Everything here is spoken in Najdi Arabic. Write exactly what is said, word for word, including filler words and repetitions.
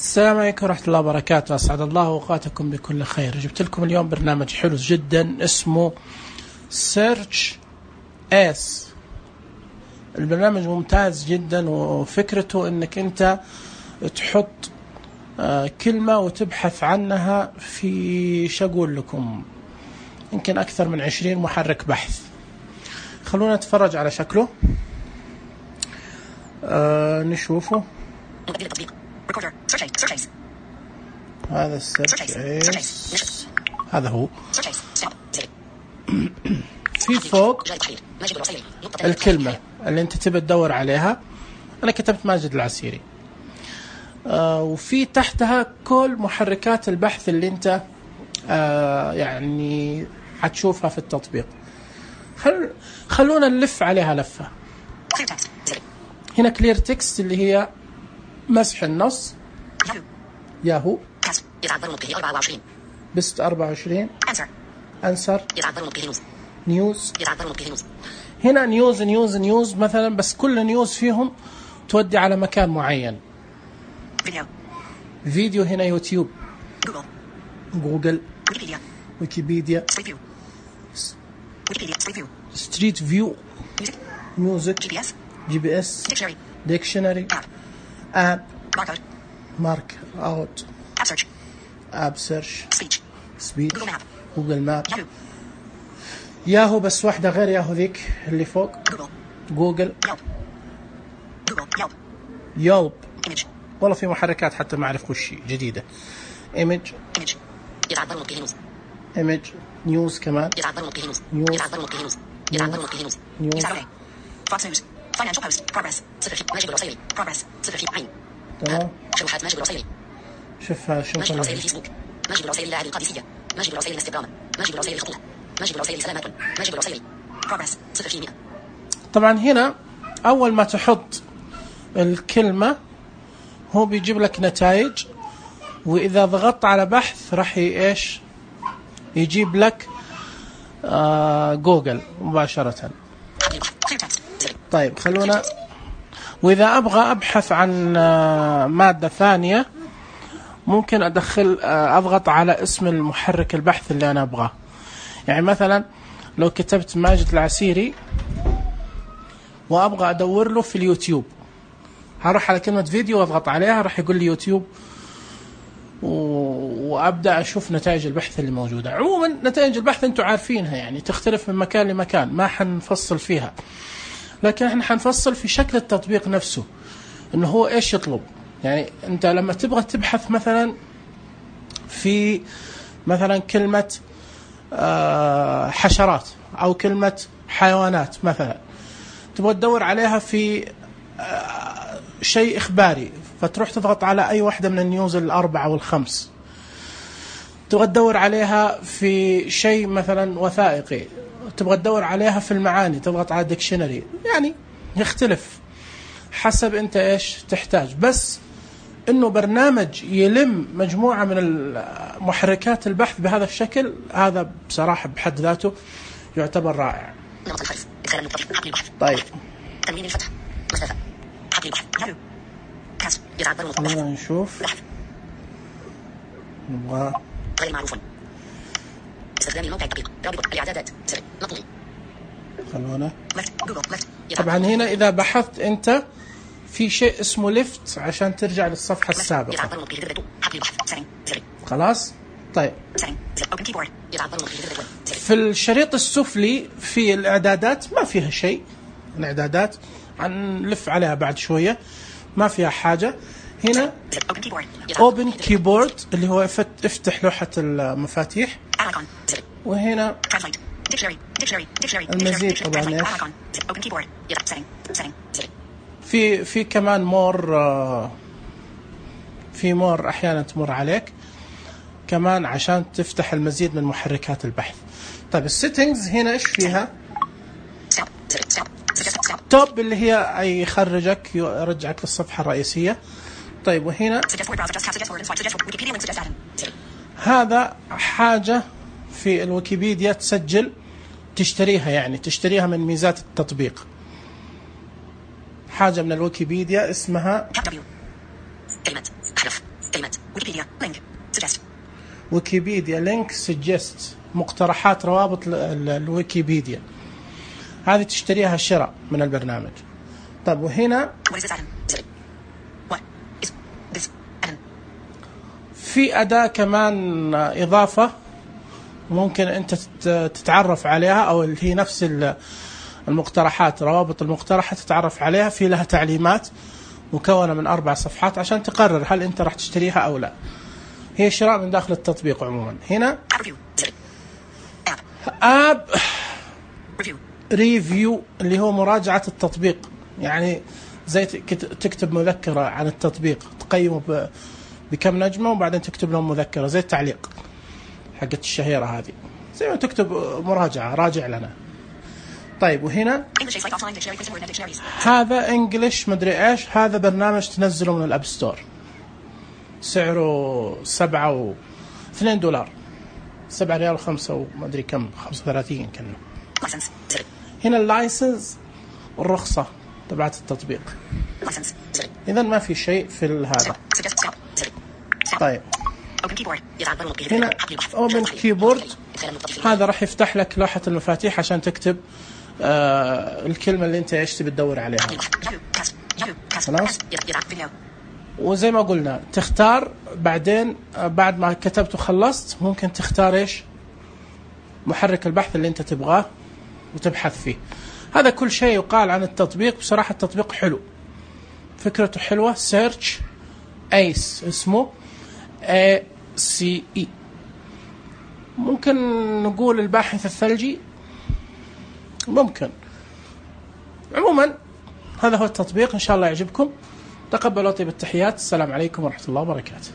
السلام عليكم ورحمة الله وبركاته. أسعد الله أوقاتكم بكل خير. جبت لكم اليوم برنامج حلو جدا اسمه سيرش اس. البرنامج ممتاز جدا وفكرته انك انت تحط كلمة وتبحث عنها في شقول لكم يمكن أكثر من عشرين محرك بحث. خلونا نتفرج على شكله. آه نشوفه. هذا السيرش هذا هو. في فوق الكلمة اللي انت تبي تدور عليها. انا كتبت ماجد العسيري. آه وفي تحتها كل محركات البحث اللي انت آه يعني حتشوفها في التطبيق. خل... خلونا نلف عليها لفة. هنا كلير تكست اللي هي مسح النص. ياهو بست أربعة وعشرين. أنسر نيوز. هنا نيوز نيوز نيوز مثلا، بس كل نيوز فيهم تودي على مكان معين. فيديو فيديو هنا يوتيوب، جوجل جوجل ويكيبيديا ويكيبيديا ستريت فيو، ميوزك، جي بي اس جي بي اس ديكشنري، اب مارك اوت، اب سيرش اب سيرش سبيتش سبيتش جوجل ماب، ياهو بس واحدة غير ياهو ذيك اللي فوق. جوجل يلب. والله في محركات حتى ما أعرف وش جديدة. إيمج إيمج نيوز كمان. نيوز نيوز فوكس نيوز فاينانشال بوست بروجرس صفر في ماجد الرسائلي بروجرس صفر في عين. تمام. شروحات ماجد الرسائلي. شوفها شوفها. ماجد الرسائلي فيسبوك. ماجد الرسائلي لاعب القادسية. ماجد الرسائلي انستغرام. ماجد الرسائلي خطوة. ماجد الرسائلي سلامات. ماجد الرسائلي بروجرس صفر في مئة. طبعا هنا أول ما تحط الكلمة هو بيجيب لك نتائج، وإذا ضغطت على بحث راح إيش يجيب لك آه جوجل مباشرة. طيب خلونا، وإذا أبغى أبحث عن آه مادة ثانية ممكن أدخل آه أضغط على اسم المحرك البحث اللي أنا أبغاه. يعني مثلا لو كتبت ماجد العسيري وأبغى أدور له في اليوتيوب، هروح على كلمة فيديو واضغط عليها راح يقول لي يوتيوب، وأبدأ أشوف نتائج البحث اللي موجودة. عموما نتائج البحث أنتم عارفينها، يعني تختلف من مكان لمكان، ما حنفصل فيها، لكن احنا حنفصل في شكل التطبيق نفسه إنه هو إيش يطلب. يعني أنت لما تبغى تبحث مثلا في مثلا كلمة حشرات أو كلمة حيوانات مثلا، تبغى تدور عليها في شيء إخباري، فتروح تضغط على أي واحدة من النيوز الأربعة والخمس. تبغى تدور عليها في شيء مثلا وثائقي، تبغى تدور عليها في المعاني، تضغط على ديكشنري. يعني يختلف حسب أنت إيش تحتاج. بس إنه برنامج يلم مجموعة من محركات البحث بهذا الشكل، هذا بصراحة بحد ذاته يعتبر رائع. طيب تمرين الفتح مسافة حقل البحث يلو كاس يتعبر المطبخ. نشوف نبغى غير معروف. استخدام الموقع الدقيق رابط الإعدادات سر مطلوب. خلونا طبعا هنا إذا بحثت أنت في شيء اسمه ليفت عشان ترجع للصفحة السابقة. خلاص. طيب في الشريط السفلي في الإعدادات ما فيها شيء. الإعدادات هنلف عليها بعد شوية، ما فيها حاجة. هنا Open Keyboard اللي هو افتح لوحة المفاتيح، وهنا المزيد طبعا في في كمان مور، في مور أحيانا تمر عليك كمان عشان تفتح المزيد من محركات البحث. طيب السيتنجز هنا إيش فيها؟ توب اللي هي أي يخرجك يرجعك للصفحة الرئيسية. طيب وهنا هذا حاجة في الويكيبيديا تسجل تشتريها، يعني تشتريها من ميزات التطبيق. حاجة من الويكيبيديا اسمها كلمة حرف كلمات ويكيبيديا لينك سجست ويكيبيديا لينك سجست مقترحات روابط الويكيبيديا هذه تشتريها شراء من البرنامج. طب وهنا في أداة كمان إضافة ممكن أنت تتعرف عليها أو هي نفس المقترحات روابط المقترحة تتعرف عليها في لها تعليمات مكونة من أربع صفحات عشان تقرر هل أنت راح تشتريها أو لا. هي شراء من داخل التطبيق عموما. هنا آب ريفيو اللي هو مراجعة التطبيق يعني زي تكتب مذكرة عن التطبيق تقيمه بكم نجمة وبعدين تكتب لهم مذكرة زي التعليق حقت الشهيرة هذه زي ما تكتب مراجعة راجع لنا. طيب وهنا هذا انجليش مدري ايش هذا برنامج تنزله من الاب ستور سعره سبعة و اثنين دولار سبعة ريال وخمسة ومدري كم خمسة وثلاثين كنا. هنا اللايسنس والرخصة تبعت التطبيق. إذن ما في شيء في هذا. طيب هنا Open Keyboard هذا راح يفتح لك لوحة المفاتيح عشان تكتب آه الكلمة اللي انت ايش تبي تدور عليها. خلاص وزي ما قلنا تختار بعدين بعد ما كتبت وخلصت ممكن تختار ايش محرك البحث اللي انت تبغاه وتبحث فيه. هذا كل شيء يقال عن التطبيق. بصراحة التطبيق حلو فكرته حلوة. سيرش ايس اسمه اي سي اي ممكن نقول الباحث الثلجي ممكن. عموما هذا هو التطبيق إن شاء الله يعجبكم. تقبلوا طيب التحيات. السلام عليكم ورحمة الله وبركاته.